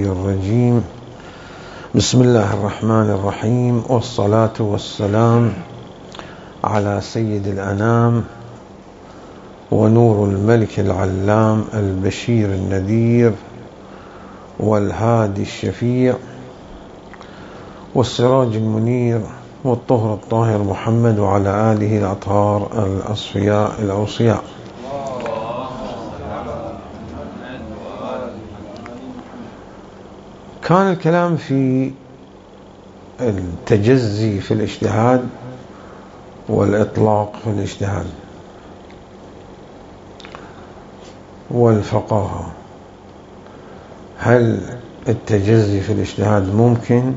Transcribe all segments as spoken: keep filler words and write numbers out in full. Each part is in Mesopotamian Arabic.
الرجيم. بسم الله الرحمن الرحيم، والصلاة والسلام على سيد الأنام ونور الملك العلام البشير النذير والهادي الشفيع والسراج المنير والطهر الطاهر محمد وعلى آله الأطهار الأصفياء الأوصياء. كان الكلام في التجزي في الاجتهاد والإطلاق في الاجتهاد والفقاهة. هل التجزي في الاجتهاد ممكن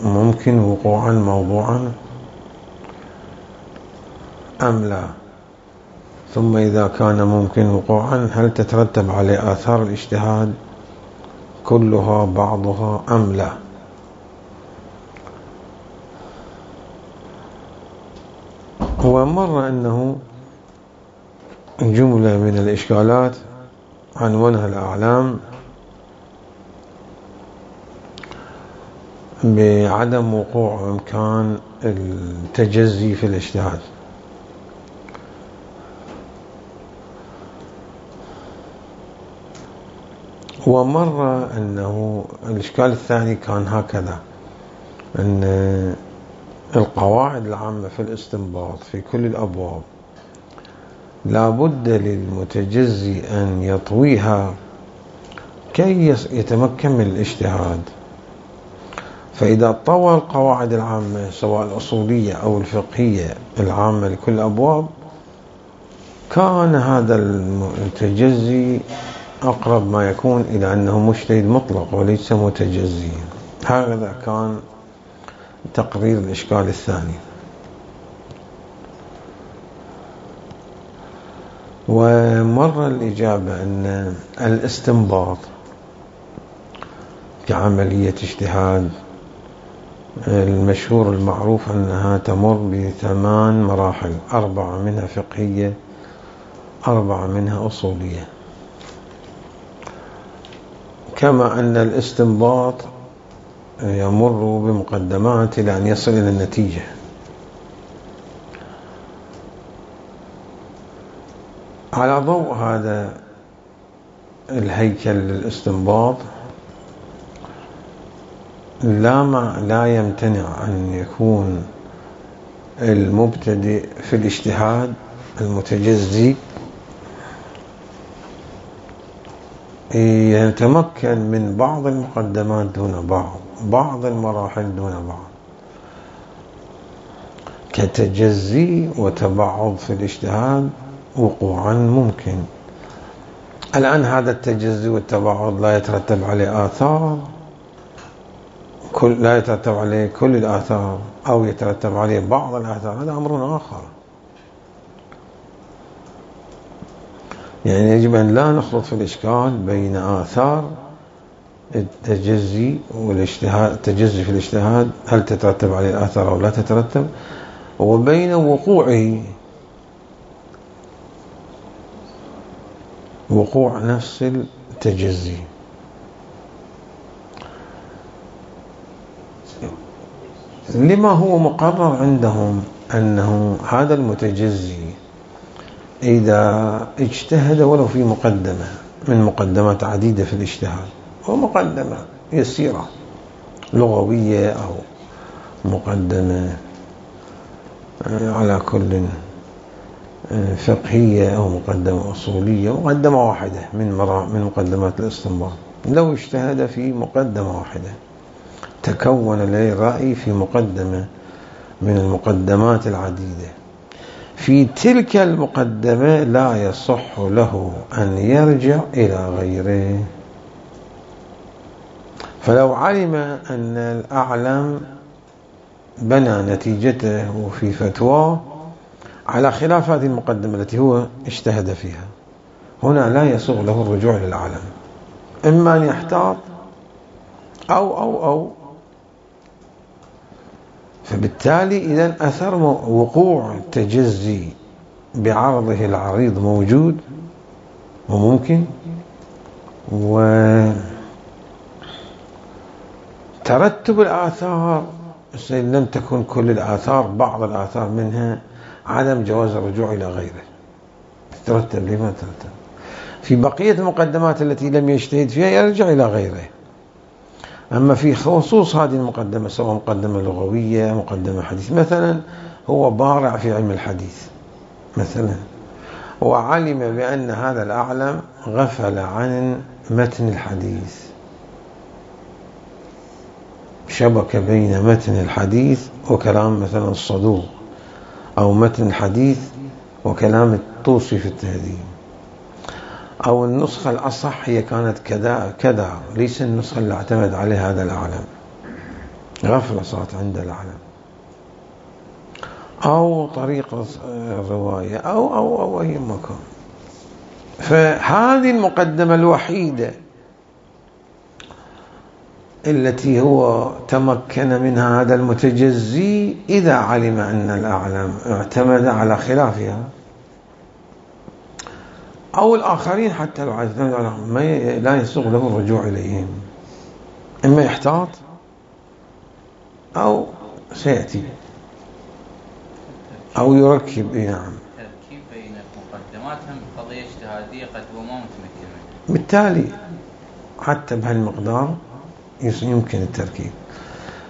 ممكن وقوعا موضوعا أم لا؟ ثم إذا كان ممكن وقوعا هل تترتب عليه آثار الاجتهاد كلها بعضها أم لا؟ ومر أنه جملة من الإشكالات عنوانها الأعلام بعدم وقوع إمكان التجزي في الاجتهاد. ومر أنه الإشكال الثاني كان هكذا، أن القواعد العامة في الاستنباط في كل الأبواب لا بد للمتجزي أن يطويها كي يتمكن من الاجتهاد. فإذا طوى القواعد العامة سواء الأصولية أو الفقهية العامة لكل الأبواب كان هذا المتجزي أقرب ما يكون إلى أنه مجتهد مطلق وليس متجزي. هذا كان تقرير الإشكال الثاني. ومر الإجابة أن الاستنباط كعملية اجتهاد المشهور المعروف أنها تمر بثمان مراحل، أربعة منها فقهية، أربعة منها أصولية، كما أن الاستنباط يمر بمقدمات إلى أن يصل إلى النتيجة. على ضوء هذا الهيكل للاستنباط لا ما لا يمتنع أن يكون المبتدئ في الاجتهاد المتجزي يتمكن من بعض المقدمات دون بعض، بعض المراحل دون بعض، كتجزي وتبعض في الاجتهاد وقوعا ممكن. الآن هذا التجزي والتبعض لا يترتب عليه آثار كل لا يترتب عليه كل الآثار أو يترتب عليه بعض الآثار، هذا أمر آخر. يعني يجب أن لا نخلط في الإشكال بين آثار التجزي والاجتهاد، التجزي في الاجتهاد هل تترتب عليه الآثار أو لا تترتب، وبين وقوعه وقوع نفس التجزي. لما هو مقرر عندهم أنه هذا المتجزي إذا اجتهد ولو في مقدمة من مقدمات عديدة في الاجتهاد، ومقدمة يسيرة لغوية أو مقدمة على كل فقهية أو مقدمة أصولية، مقدمة واحدة من من مقدمات الاستنباط، لو اجتهد في مقدمة واحدة تكون له رأي في مقدمة من المقدمات العديدة، في تلك المقدمة لا يصح له أن يرجع إلى غيره. فلو علم أن الأعلم بنى نتيجته في فتواه على خلاف هذه المقدمة التي هو اجتهد فيها، هنا لا يسوغ له الرجوع للأعلم، إما أن يحتاط أو أو أو فبالتالي إذن أثر وقوع وترتب الآثار لم تكن كل الآثار، بعض الآثار منها عدم جواز الرجوع إلى غيره، ترتب لما ترتب. في بقية المقدمات التي لم يجتهد فيها يرجع إلى غيره. أما في خصوص هذه المقدمة، سواء مقدمة لغوية مقدمة حديث، مثلا هو بارع في علم الحديث مثلا، وعلم بأن هذا الأعلم غفل عن متن الحديث، شبك بين متن الحديث وكلام مثلا الصدوق، أو متن الحديث وكلام الطوسي في التهذيب، أو النسخة الأصح هي كانت كذا كذا، ليس النسخة اللي اعتمد عليها هذا الأعلم، غفلة صارت عند الأعلم، أو طريقة الرواية أو أو أو أي مكان. فهذه المقدمة الوحيدة التي هو تمكن منها هذا المتجزي، إذا علم أن الأعلم اعتمد على خلافها، أو الآخرين حتى لو اعتمد على ما لا يسوغ له الرجوع إليهم، إما يحتاط أو سيأتي أو يركب. نعم، التركيب بين مقدماتهم قضية اجتهادية قد هو ما متمكن منها، بالتالي حتى بهالمقدار يمكن التركيب.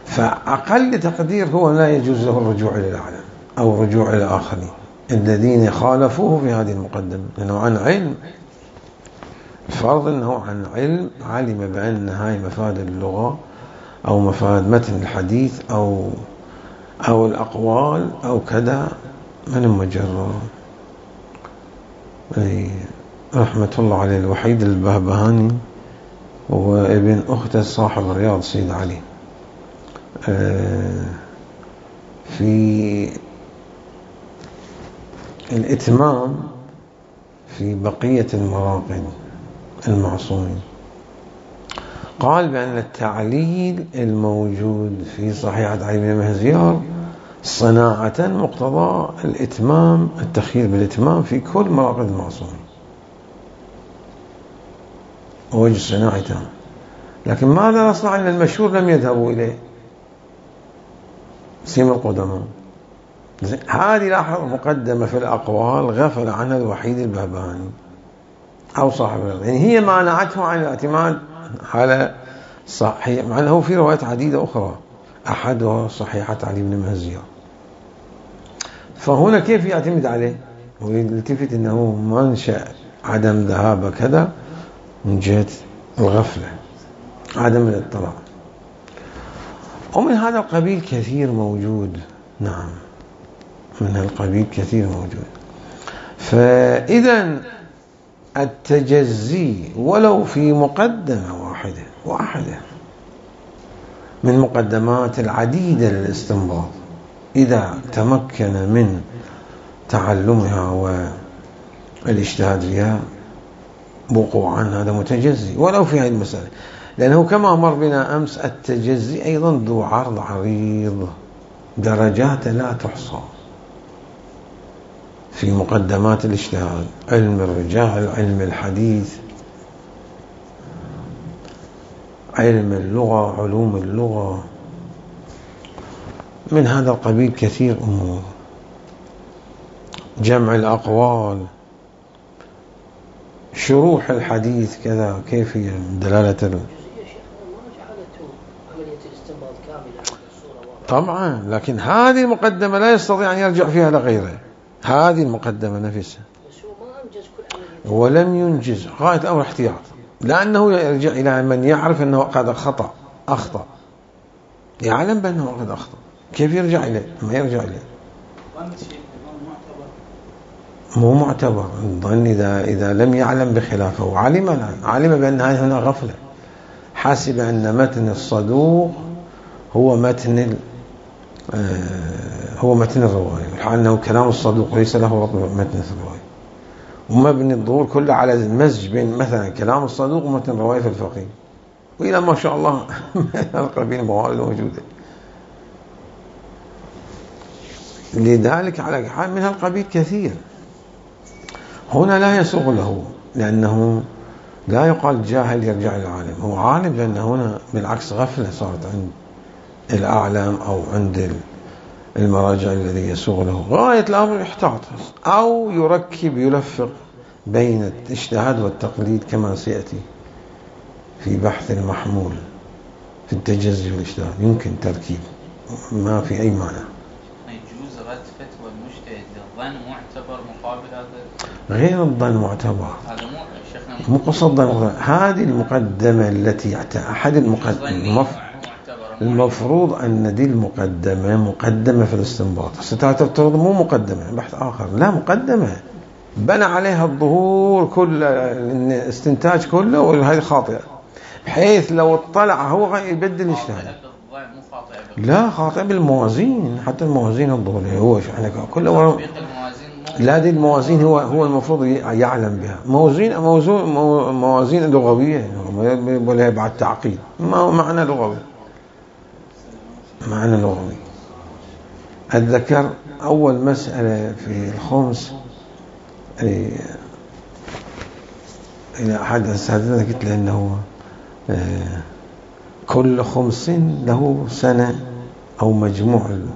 فأقل تقدير هو لا يجوز له الرجوع إلى الأعلم أو الرجوع إلى الآخرين الذين خالفوه في هذه المقدمة، لأنه عن علم، فرض أنه عن علم علم بأن هاي مفاد اللغة أو مفاد متن الحديث أو أو الأقوال أو كذا من المجرد. رحمة الله عليه الوحيد البهبهاني وابن أخته صاحب الرياض سيد علي، في الإتمام في بقية المراقد المعصومين قال بأن التعليل الموجود في صحيحة علي بن مهزيار صناعة مقتضى الإتمام، التخيير بالإتمام في كل مراقد المعصومين، ووجه صناعة تام. لكن ماذا نصنع أن المشهور لم يذهبوا إليه سيم القدماء؟ هذه لاحظ مقدمة في الأقوال غفل عنها الوحيد البهبهاني أو صاحب الرياض، يعني هي مانعته عن الاعتماد على صحيح، مع أنه في روايات عديدة أخرى أحدها صحيحة علي بن مهزيار. فهنا كيف يعتمد عليه؟ ويلتفت أنه منشأ عدم ذهاب كذا من جهة الغفلة، عدم الاطلاع، ومن هذا القبيل كثير موجود. نعم، من هذا القبيل كثير موجود. فإذا التجزي ولو في مقدمة واحدة واحدة من مقدمات العديدة للاستنباط، إذا تمكن من تعلمها والاجتهاد فيها وقوعا، هذا متجزي ولو في هذه المسألة، لأنه كما مر بنا أمس التجزي أيضا ذو عرض عريض، درجات لا تحصى في مقدمات الاجتهاد، علم الرجال، علم الحديث، علم اللغة، علوم اللغة، من هذا القبيل كثير أمور، جمع الأقوال، شروح الحديث كذا، كيفية دلالة ال... طبعا، لكن هذه المقدمة لا يستطيع أن يرجع فيها لغيره، هذه المقدمة نفسها ولم ينجز، غاية الأمر احتياط، لأنه يرجع إلى من يعرف أنه قد خطأ أخطأ، يعلم بأنه قد أخطأ، كيف يرجع إليه؟ ما يرجع إليه، مو معتبر الظن إذا إذا لم يعلم بخلافه، وعلم الآن علم بأن هنا غفلة، حاسب أن متن الصدوق هو متن هو متن الرواية، الحال أنه كلام الصدوق ليس له ربط متن الرواية، ومبني الظهور كله على المزج بين مثلا كلام الصدوق ومتن الرواية في الفقيه، وإلى ما شاء الله القبيل موارد موجودة. لذلك على حال من هالقبيل كثير، هنا لا يسوغ له، لأنه لا يقال جاهل يرجع للعالم، هو عالم، لأن هنا بالعكس غفلة صارت عند الأعلام أو عند المراجع الذي يسوغ له. غاية الأمر يحتاط أو يركب يلفق بين الاجتهاد والتقليد كما سيأتي في بحث المحمول في التجزي والاجتهاد، يمكن تركيب ما في أي معنى. يجوز رد فتوى المجتهد للظن معتبر مقابل هذا؟ غير الظن معتبر، هذا مو شيخنا مو قصد هذه المقدمة التي أحد المقدمة المفروض أن دي المقدمة مقدمة في الاستنباط. ستفترض مو مقدمة بحث آخر، لا مقدمة بنى عليها الظهور كل الاستنتاج كله، وهذه خاطئة بحيث لو اطلع هو يبدل اجتهاد. لا خاطئ بالموازين، حتى الموازين الظهورية هو احنا كله لا دي الموازين هو هو المفروض يعلم بها. موازين موزون موازين لغوية ولا بعد تعقيد، ما معنى لغوي، معنى لغوي. أتذكر أول مسألة في الخمس إلى أحد أساتذتنا قلت له أنه كل خمس له سنة أو مجموع له.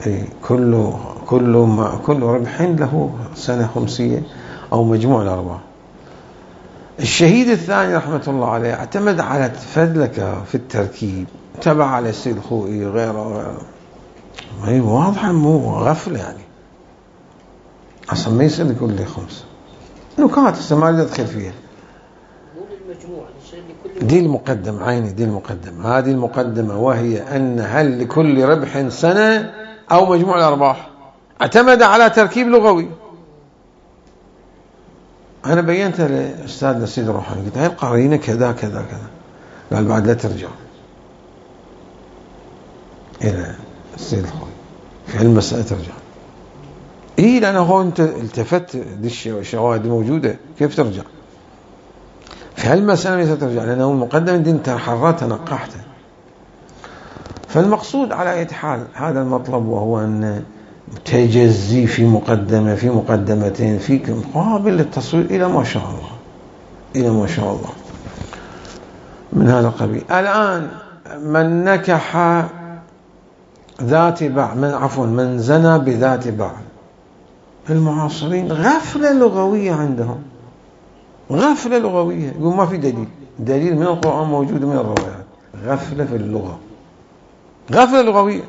إيه كل كل ما كل ربح له سنة خمسية أو مجموع الأرباح. الشهيد الثاني رحمة الله عليه اعتمد على فذلك في التركيب، تبع على السيد الخوئي غيره غيره، واضحة مو غفلة يعني، أصلا ما يصير كل خمس نكات ما ندخل فيها. دي المقدمة عيني، دي المقدمة، هذه المقدمة، وهي أن هل لكل ربح سنة أو مجموع الأرباح. اعتمد على تركيب لغوي. أنا بينت لأستاذنا السيد الروحاني قلت هاي القرينة كذا كذا كذا، قال بعد لا ترجع إلى السيد الخوي في المسألة ترجع. إيه لأنه هو أنت التفت دي الشواهد موجودة، كيف ترجع في هالمسألة؟ ليس ترجع لأنه المقدمة دي انت حررتها نقحتها. فالمقصود على أي حال هذا المطلب، وهو أن تجزي في مقدمة في مقدمتين في مقابل للتصوير إلى ما شاء الله، إلى ما شاء الله من هذا القبيل. الآن من نكح ذات بعل، من عفوا من زنى بذات بعل، المعاصرين غفلة لغوية عندهم، غفلة لغوية، يقول ما في دليل، دليل من القرآن موجود من الروايات. غفلة في اللغة، غفلة لغوية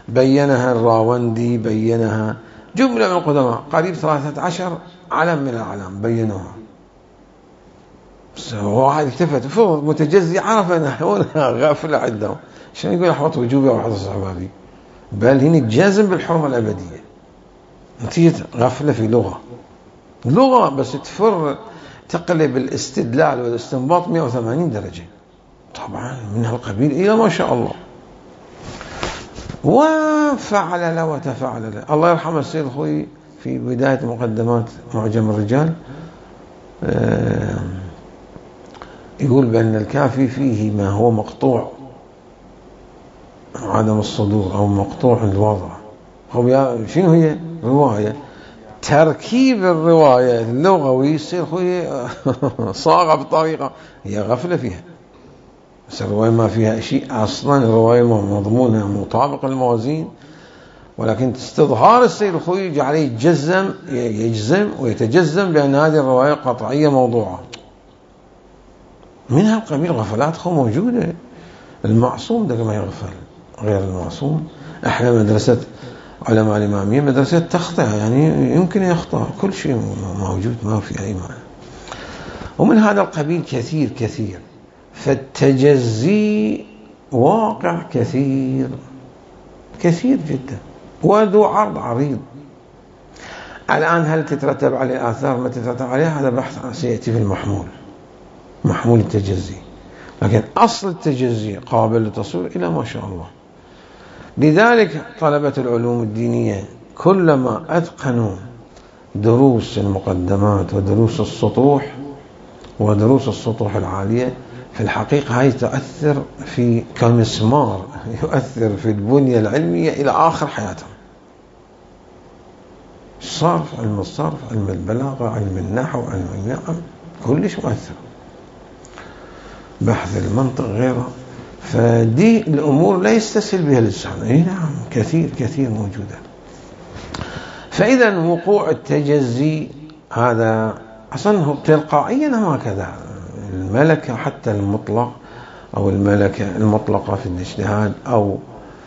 بينها الراوندي، بينها جملة من القدماء، قريب ثلاثة عشر علم من الأعلام بينوها. واحد التفت فوق متجزي عرف أنها غفلة عندهم، عشان يقول أحوط وجوبي أو أحوط صحبابي، بل هنا جازم بالحرمة الأبدية نتيجة غفلة في لغة، لغة بس تفر تقلب الاستدلال والاستنباط مئة وثمانين درجة طبعا من هالقبيل إلى ما شاء الله. وفعل له وتفعل له. الله يرحم السيد الخوي في بداية مقدمات معجم الرجال يقول بأن الكافي فيه ما هو مقطوع عدم الصدور أو مقطوع الوضع. شنو هي رواية؟ تركيب الرواية اللغوي يصير خوي صاغة بطريقة هي غفلة فيها، بس الرواية ما فيها شيء أصلا، الرواية مضمونها مطابق الموازين، ولكن استظهار السيد الخوي يجعله يتجزم يجزم ويتجزم بأن هذه الرواية قطعية موضوعة. من هالقبيل غفلات خو موجودة. المعصوم ده ما يغفل، غير المعصوم. احنا مدرسة علماء الإمامية مدرسة تخطئ، يعني يمكن يخطأ كل شيء موجود ما في أي معنى. ومن هذا القبيل كثير كثير. فالتجزي واقع كثير كثير جدا وذو عرض عريض. الآن هل تترتب عليه آثار ما تترتب عليه؟ هذا بحث سيأتي في المحمول، محمول التجزي. لكن أصل التجزي قابل للتصوير إلى ما شاء الله. لذلك طلبة العلوم الدينية كلما أتقنوا دروس المقدمات ودروس السطوح ودروس السطوح العالية، في الحقيقة هاي تؤثر في كمسمار يؤثر في البنية العلمية إلى آخر حياتهم. الصرف، علم الصرف، علم البلاغة، علم النحو، علم النعم، كلش مؤثر، بحث المنطق غيره. فدي الأمور لا يستسهل بها اللسان. اي نعم، كثير كثير موجودة. فإذا وقوع التجزي هذا أصلا تلقائيا هكذا. الملكة حتى المطلق أو الملكة المطلقة في الاجتهاد أو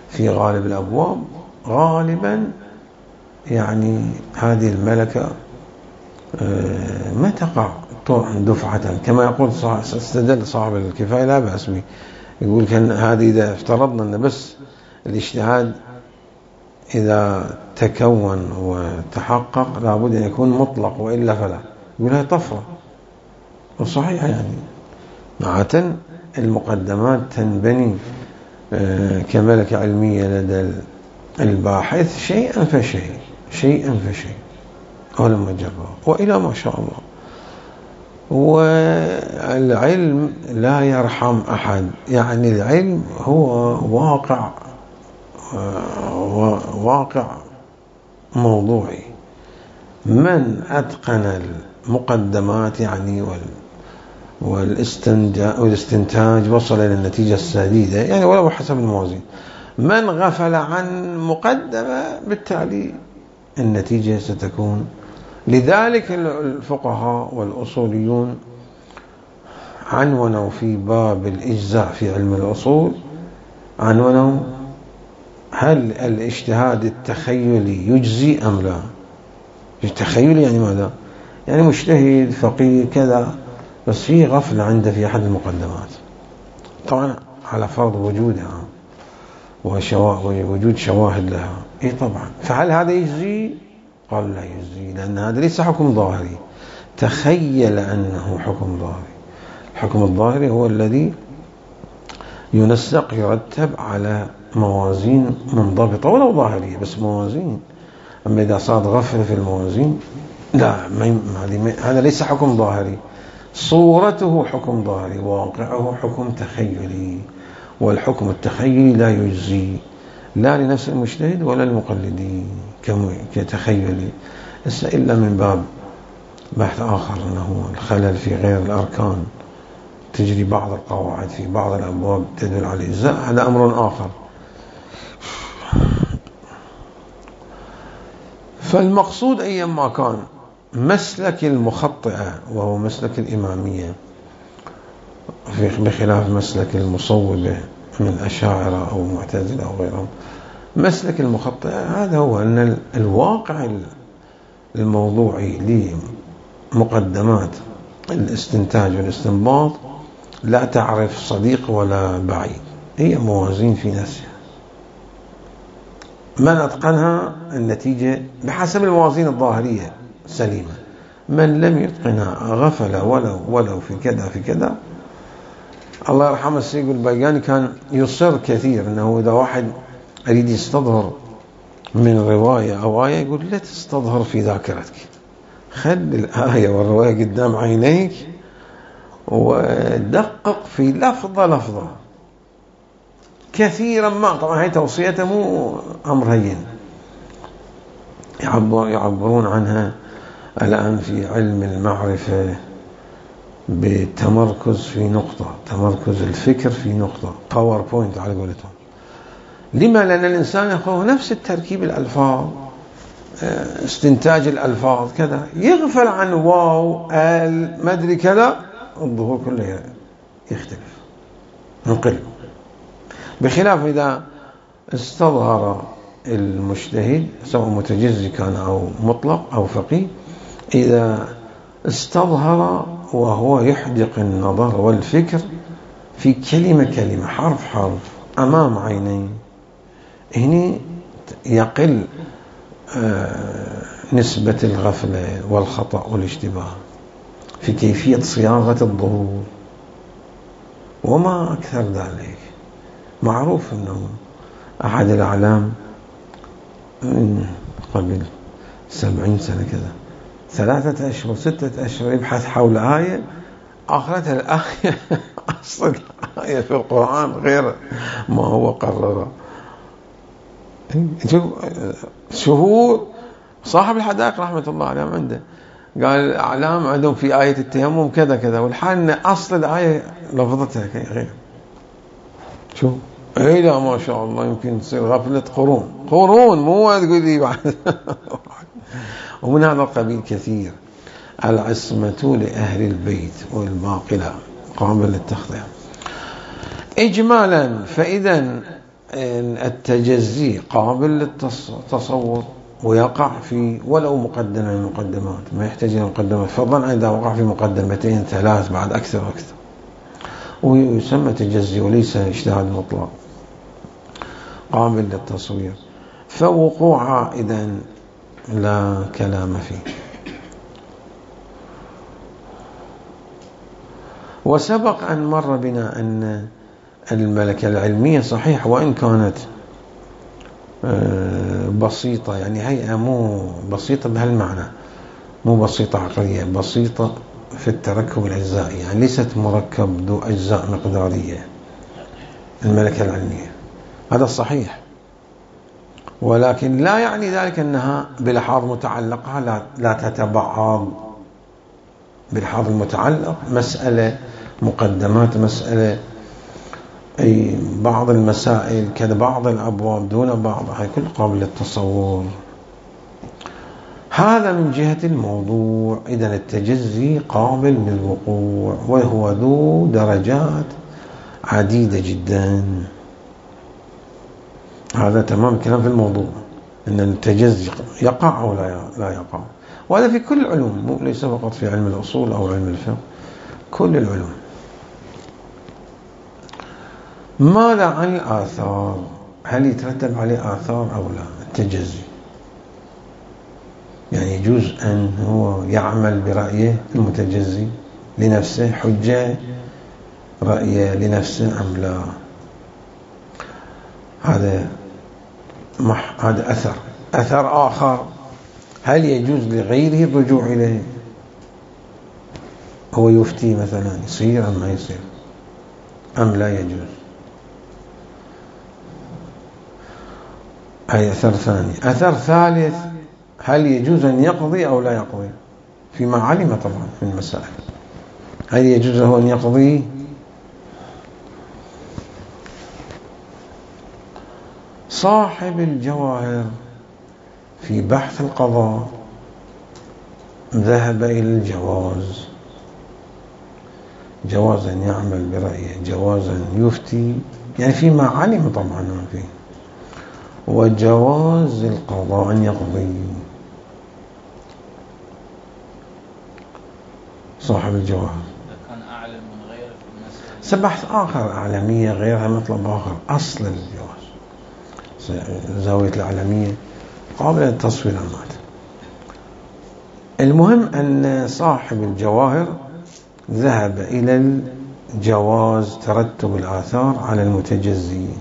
في غالب الأبواب غالبا يعني هذه الملكة ما تقع دفعة، كما يقول استدل صاحب الكفاية لا بأس به، يقول كان هذه إذا افترضنا أن بس الاجتهاد إذا تكون وتحقق لابد أن يكون مطلق وإلا فلا، يقول هي طفرة. وصحيح يعني عادة المقدمات تنبني كملكة علمية لدى الباحث شيئا فشيء شيئا فشيء ولما جرب وإلى ما شاء الله. والعلم لا يرحم أحد، يعني العلم هو واقع واقع موضوعي. من أتقن المقدمات يعني والاستنتاج وصل إلى النتيجة السديدة، يعني ولو حسب الموازين. من غفل عن مقدمة بالتالي النتيجة ستكون. لذلك الفقهاء والأصوليون عنونوا في باب الإجزاء في علم الأصول، عنونوا هل الاجتهاد التخيلي يجزي أم لا. التخيلي يعني ماذا؟ يعني مجتهد فقيه كذا بس في غفلة عنده في أحد المقدمات، طبعا على فرض وجودها ووجود شواهد لها. إيه طبعا. فهل هذا يجزي؟ قال لا يجزي، لأن هذا ليس حكم ظاهري، تخيل أنه حكم ظاهري. الحكم الظاهري هو الذي ينسق يرتب على موازين منضبطة ولو ظاهرية، بس موازين. أما إذا صار غفل في الموازين لا، هذا ليس حكم ظاهري، صورته حكم ظاهري، واقعه حكم تخيلي. والحكم التخيلي لا يجزي لا لنفس المجتهد ولا المقلدين كتخيلي، إلا من باب بحث آخر أنه الخلل في غير الأركان، تجري بعض القواعد في بعض الأبواب تدل على الإجزاء، هذا أمر آخر. فالمقصود أيما كان مسلك المخطئة وهو مسلك الإمامية بخلاف مسلك المصوبة من أشاعرة أو معتزلة أو غيرهم، مسلك المخطئة هذا هو أن الواقع الموضوعي لمقدمات الاستنتاج والاستنباط لا تعرف صديق ولا بعيد، هي موازين في نفسها. من أتقنها النتيجة بحسب الموازين الظاهرية سليمة، من لم يتقنها غفل ولو ولو في كذا في كذا. الله يرحمه السيد البيقاني كان يصر كثير أنه إذا واحد أريد يستظهر من رواية أو آية يقول لا تستظهر في ذاكرتك، خل الآية والرواية قدام عينيك ودقق في لفظة لفظة كثيرا ما. طبعا هي توصيته مو أمر هين، يعبرون عنها الآن في علم المعرفة بالتمركز في نقطة، تمركز الفكر في نقطة، باوربوينت على قولتهم. لما؟ لأن الإنسان يأخذ نفس التركيب الألفاظ، استنتاج الألفاظ كذا، يغفل عن واو ال ما أدري كذا، الظهور كله يختلف ينقلب. بخلاف إذا استظهر المجتهد سواء متجزي كان أو مطلق أو فقيه، إذا استظهر وهو يحدق النظر والفكر في كلمة كلمة حرف حرف أمام عينيه، هنا يقل نسبة الغفلة والخطأ والاشتباه في كيفية صياغة الظهور. وما أكثر ذلك. معروف أنه أحد الأعلام من قبل سبعين سنة كذا ثلاثة أشهر ستة أشهر يبحث حول آية، آخرتها الآية أصل آية في القرآن غير ما هو قرر. شهور صاحب الحدائق رحمة الله عليه عنده قال الأعلام عندهم في آية التيمم كذا كذا، والحال أن أصل الآية لفظتها غير. شو اي لا ما شاء الله يمكن تصير غفلة قرون قرون مو تقول لي بعد. ومن هذا القبيل كثير. العصمة لأهل البيت والباقي لا قابل للتخطئة. إجمالا فإذا التجزي قابل للتصور ويقع في ولو مقدمة من المقدمات، ما يحتاج إلى مقدمة، فضلا إذا وقع في مقدمتين ثلاث بعد أكثر وأكثر، ويسمى تجزي وليس اجتهاد مطلق قابل للتصوير، فوقوعها إذن لا كلام فيه. وسبق أن مر بنا أن الملكة العلمية صحيح وإن كانت بسيطة، يعني هيئة مو بسيطة بهالمعنى، مو بسيطة عقلية، بسيطة في التركب الأجزائي، يعني ليست مركب ذو أجزاء مقدارية الملكة العلمية، هذا صحيح، ولكن لا يعني ذلك أنها بلحاظ متعلقة لا, لا تتبعض. بلحاظ المتعلق مسألة مقدمات، مسألة أي بعض المسائل كذا، بعض الأبواب دون بعض، هاي كل قابل للتصور. هذا من جهة الموضوع. إذن التجزي قابل للوقوع وهو ذو درجات عديدة جدا. هذا تمام كلام في الموضوع، أن التجزي يقع أو لا يقع، وهذا في كل العلوم، ليس فقط في علم الأصول أو علم الفقه، كل العلوم. ماذا عن الآثار؟ هل يترتب عليه آثار أو لا التجزي؟ يعني يجوز أن هو يعمل برأيه المتجزي لنفسه، حجة رأيه لنفسه أم لا؟ هذا مح هذا أثر. أثر آخر، هل يجوز لغيره الرجوع إليه؟ هو يفتي مثلا، يصير أم ما يصير أم لا يجوز؟ هي أثر ثاني. أثر ثالث، هل يجوز أن يقضي أو لا يقضي فيما علم طبعا من المسائل؟ هل يجوز له أن يقضي؟ صاحب الجواهر في بحث القضاء ذهب إلى الجواز، جوازا يعمل برأيه، جوازا يفتي، يعني فيما علم طبعا ما فيه، وجواز القضاء أن يقضي. صاحب الجواهر كان أعلم من غيره في المسألة، سبحث آخر، أعلمية غيرها مطلب آخر، أصل الجواز زاوية الأعلمية قابل للتصوير المات. المهم أن صاحب الجواهر ذهب إلى الجواز ترتب الآثار على المتجزين.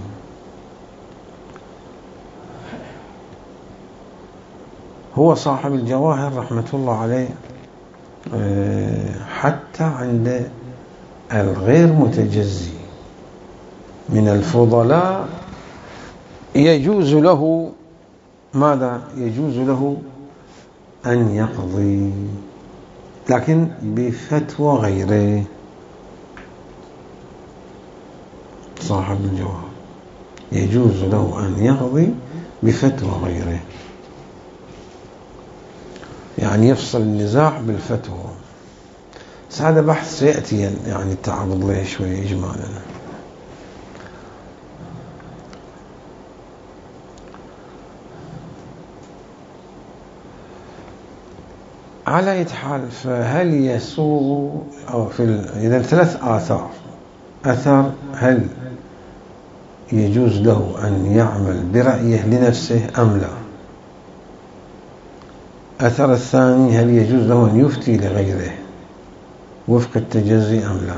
هو صاحب الجواهر رحمة الله عليه حتى عند الغير متجزي من الفضلاء يجوز له ماذا؟ يجوز له أن يقضي، لكن بفتوى غيره. صاحب الجواهر يجوز له أن يقضي بفتوى غيره، يعني يفصل النزاع بالفتوى. هذا بحث سيأتي يعني التعرض له شوي إجمالا. على أي حال، فهل يسوغ أو في إذا ثلاث آثار. أثر، هل يجوز له أن يعمل برأيه لنفسه أم لا؟ أثر الثاني، هل يجوز له أن يفتي لغيره وفق التجزي أم لا؟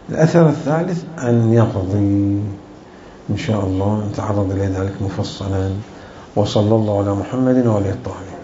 الأثر الثالث أن يقضي. إن شاء الله نتعرض إلى ذلك مفصلا. وصلى الله على محمد وعلى آله الطاهرين.